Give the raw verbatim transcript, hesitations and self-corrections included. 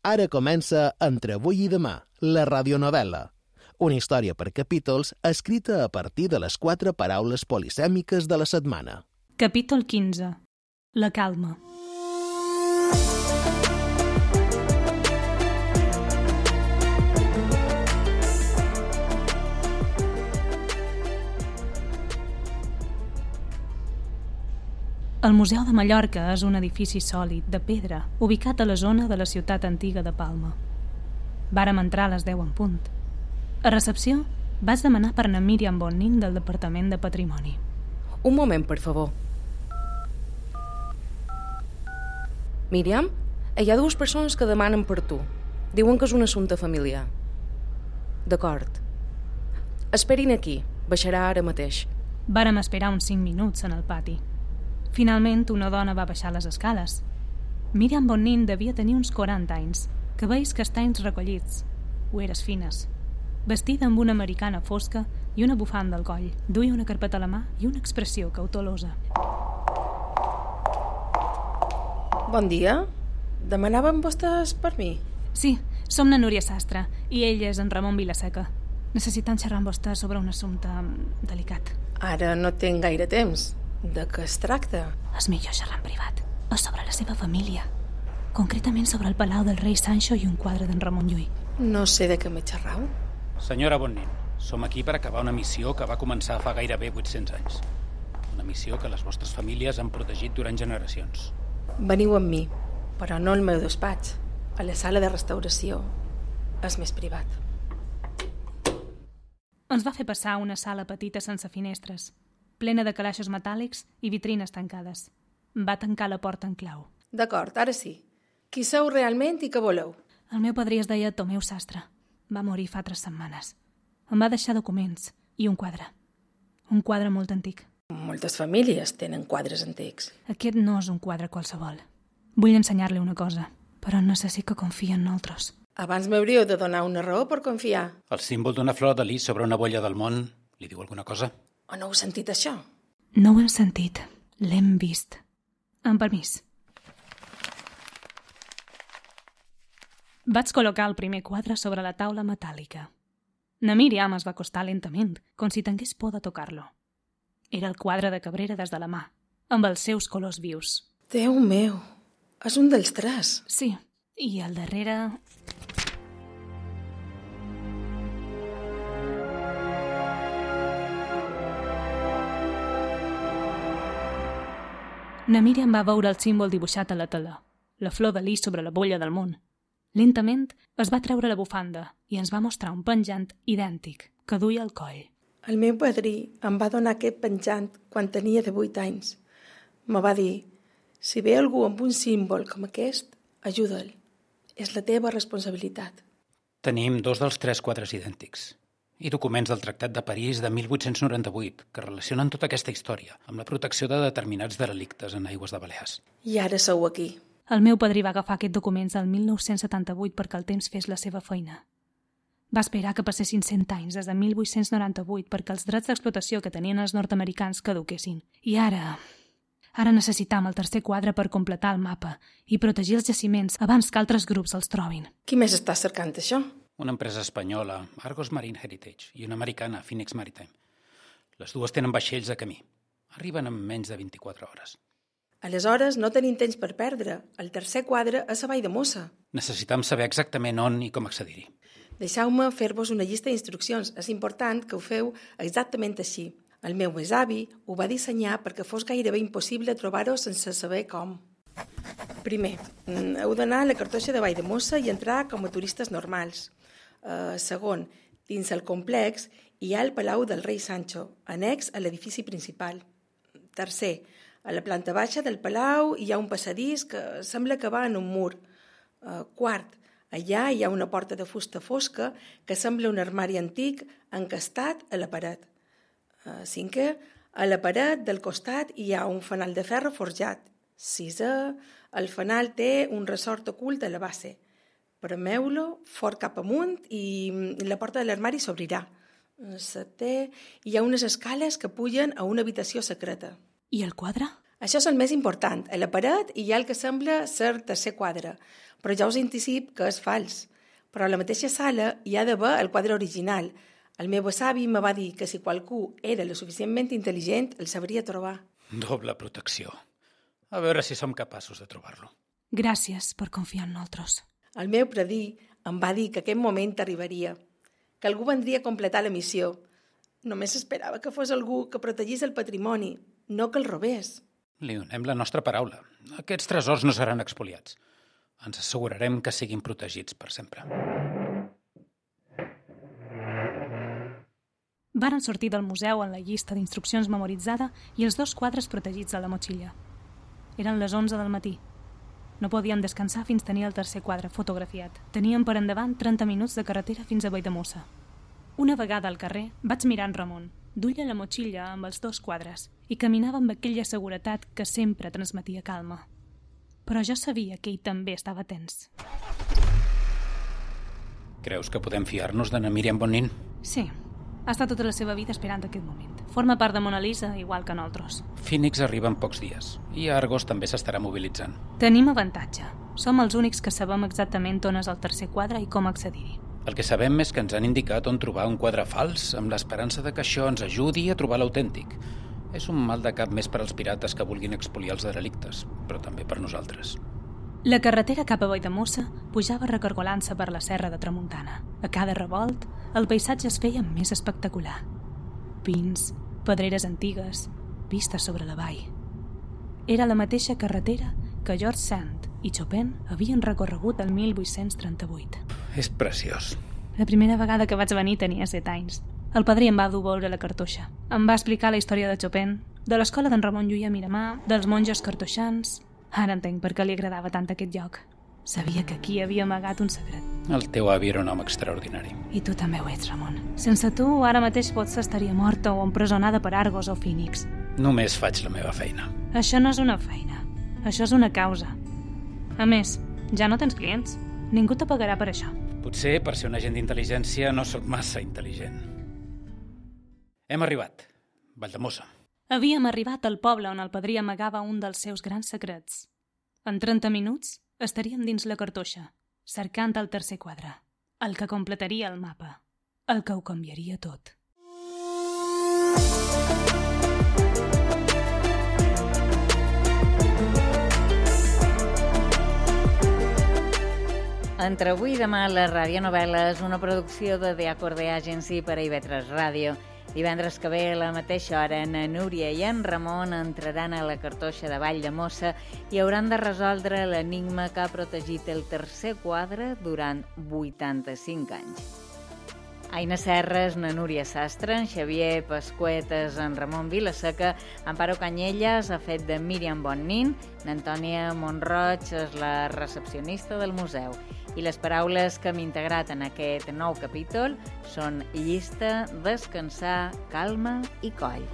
Ara comença Entre avui i demà, la radionovel·la. Una història per capítols escrita a partir de les quatre paraules polisèmiques de la setmana. Capítol quinze. La calma. El Museu de Mallorca és un edifici sòlid, de pedra, ubicat a la zona de la ciutat antiga de Palma. Vàrem entrar a les deu en punt. A recepció, vaig demanar per na Míriam Bonnin del Departament de Patrimoni. Un moment, per favor. Míriam, hi ha dues persones que demanen per tu. Diuen que és un assumpte familiar. D'acord. Esperin aquí. Baixarà ara mateix. Vàrem esperar uns cinc minuts en el pati. Finalment, una dona va baixar les escales. Míriam Bonnin devia tenir uns quaranta anys, cabells castanys recollits, ulleres fines, vestida amb una americana fosca i una bufanda al coll. Duia una carpeta a la mà i una expressió cautelosa. Bon dia. Demanaven vostès per mi? Sí, som na Núria Sastre i ell és en Ramon Vilaseca. Necessitem xerrar amb vostè sobre un assumpte delicat. Ara no tinc gaire temps. De què es tracta? És millor xerrar en privat. És sobre la seva família. Concretament sobre el palau del rei Sancho i un quadre d'en Ramon Llull. No sé de què me xerrau. Senyora Bonnin, som aquí per acabar una missió que va començar fa gairebé vuit-cents anys. Una missió que les vostres famílies han protegit durant generacions. Veniu amb mi, però no al meu despatx. A la sala de restauració. És més privat. Ens va fer passar una sala petita sense finestres, plena de calaixos metàl·lics i vitrines tancades. Va tancar la porta en clau. D'acord, ara sí. Qui sou realment i què voleu? El meu padrí es deia Tomeu Sastre. Va morir fa tres setmanes. Em va deixar documents i un quadre. Un quadre molt antic. Moltes famílies tenen quadres antics. Aquest no és un quadre qualsevol. Vull ensenyar-li una cosa, però necessito que confiï en nosaltres. Abans m'hauríeu de donar una raó per confiar. El símbol d'una flor de lis sobre una bolla del món li diu alguna cosa? O no heu sentit això? No ho hem sentit. L'hem vist. Amb permís. Vaig col·locar el primer quadre sobre la taula metàl·lica. Na Míriam es va acostar lentament, com si tingués por de tocar-lo. Era el quadre de Cabrera des de la mà, amb els seus colors vius. Déu meu, és un dels tres. Sí, i al darrere... Na Míriam va veure el símbol dibuixat a la tela, la flor de lis sobre la bolla del món. Lentament es va treure la bufanda i ens va mostrar un penjant idèntic que duia al coll. El meu padrí em va donar aquest penjant quan tenia divuit anys. Me va dir, si ve algú amb un símbol com aquest, ajuda'l. És la teva responsabilitat. Tenim dos dels tres quadres idèntics i documents del Tractat de París de mil vuit-cents noranta-vuit que relacionen tota aquesta història amb la protecció de determinats derelictes en aigües de Balears. I ara sou aquí. El meu padrí va agafar aquests documents el mil nou-cents setanta-vuit perquè el temps fes la seva feina. Va esperar que passessin cent anys des de mil vuit-cents noranta-vuit perquè els drets d'explotació que tenien els nord-americans caduquessin. I ara... Ara necessitam el tercer quadre per completar el mapa i protegir els jaciments abans que altres grups els trobin. Qui més està cercant això? Una empresa espanyola, Argos Marine Heritage, i una americana, Phoenix Maritime. Les dues tenen vaixells de camí. Arriben en menys de vint-i-quatre hores. Aleshores, no tenim temps per perdre. El tercer quadre és a Vall de Mossa. Necessitam saber exactament on i com accedir-hi. Deixeu-me fer-vos una llista d'instruccions. És important que ho feu exactament així. El meu besavi ho va dissenyar perquè fos gairebé impossible trobar-ho sense saber com. Primer, heu d'anar a la cartoixa de Vall de Mossa i entrar com a turistes normals. Uh, segon, dins el complex hi ha el Palau del rei Sancho, annex a l'edifici principal. Tercer, a la planta baixa del palau hi ha un passadís que sembla que va en un mur. Uh, quart, allà hi ha una porta de fusta fosca que sembla un armari antic encastat a la paret. Uh, cinquè, a la paret del costat hi ha un fanal de ferro forjat. Sisè, el fanal té un ressort ocult a la base. Premeu-lo fort cap amunt i la porta de l'armari s'obrirà. Setè, hi ha unes escales que pugen a una habitació secreta. I el quadre? Això és el més important. A la paret hi ha el que sembla ser tercer quadre, però ja us anticip que és fals. Però a la mateixa sala hi ha d'haver el quadre original. El meu besavi me va dir que si qualcú era lo suficientment intel·ligent, el sabria trobar. Doble protecció. A veure si som capaços de trobar-lo. Gràcies per confiar en nosaltres. El meu predí em va dir que aquest moment arribaria, que algú vendria a completar la missió. Només esperava que fos algú que protegís el patrimoni, no que el robés. Li donem la nostra paraula. Aquests tresors no seran expoliats. Ens assegurarem que siguin protegits per sempre. Varen sortir del museu en la llista d'instruccions memoritzada i els dos quadres protegits a la motxilla. Eren les onze del matí. No podíem descansar fins tenir el tercer quadre fotografiat. Teníem per endavant trenta minuts de carretera fins a Valldemossa. Una vegada al carrer vaig mirar en Ramon, duia la motxilla amb els dos quadres i caminava amb aquella seguretat que sempre transmetia calma. Però jo sabia que ell també estava tens. Creus que podem fiar-nos de na Míriam Bonin? Sí. Ha estat tota la seva vida esperant aquest moment. Forma part de Mona Lisa, igual que nosaltres. Phoenix arriba en pocs dies i Argos també s'estarà mobilitzant. Tenim avantatge. Som els únics que sabem exactament on és el tercer quadre i com accedir-hi. El que sabem és que ens han indicat on trobar un quadre fals amb l'esperança de que això ens ajudi a trobar l'autèntic. És un mal de cap més per als pirates que vulguin expoliar els derelictes, però també per nosaltres. La carretera cap a Valldemossa pujava recargolant-se per la serra de Tramuntana. A cada revolt, el paisatge es feia més espectacular. Pins, pedreres antigues, vistes sobre la vall. Era la mateixa carretera que George Sand i Chopin havien recorregut el mil vuit-cents trenta-vuit. És preciós. La primera vegada que vaig venir tenia set anys. El padrí em va dur a veure la cartoixa. Em va explicar la història de Chopin, de l'escola d'en Ramon Llull a Miramar, dels monjos cartoixans. Ara entenc per què li agradava tant aquest lloc. Sabia que aquí havia amagat un secret. El teu avi era un home extraordinari. I tu també ho ets, Ramon. Sense tu, ara mateix potser estaria morta o empresonada per Argos o Phoenix. Només faig la meva feina. Això no és una feina. Això és una causa. A més, ja no tens clients. Ningú te pagarà per això. Potser, per ser un agent d'intel·ligència, no sóc massa intel·ligent. Hem arribat. Valldemossa. Havíem arribat al poble on el padrí amagava un dels seus grans secrets. En trenta minuts estaríem dins la cartoixa, cercant el tercer quadre, el que completaria el mapa, el que ho canviaria tot. Entre avui i demà, la radionovel·la és una producció de The Acorde Agency per a I V tres Ràdio. Divendres que ve, a la mateixa hora, na Núria i en Ramon entraran a la cartoixa de Valldemossa i hauran de resoldre l'enigma que ha protegit el tercer quadre durant vuitanta-cinc anys. Aina Serres, na Núria Sastre, en Xavier Pasquetes, en Ramon Vilaseca, Amparo Canyelles ha fet de Míriam Bonin, n'Antònia Montroig és la recepcionista del museu. I les paraules que hem integrat en aquest nou capítol són llista, descansar, calma i coll.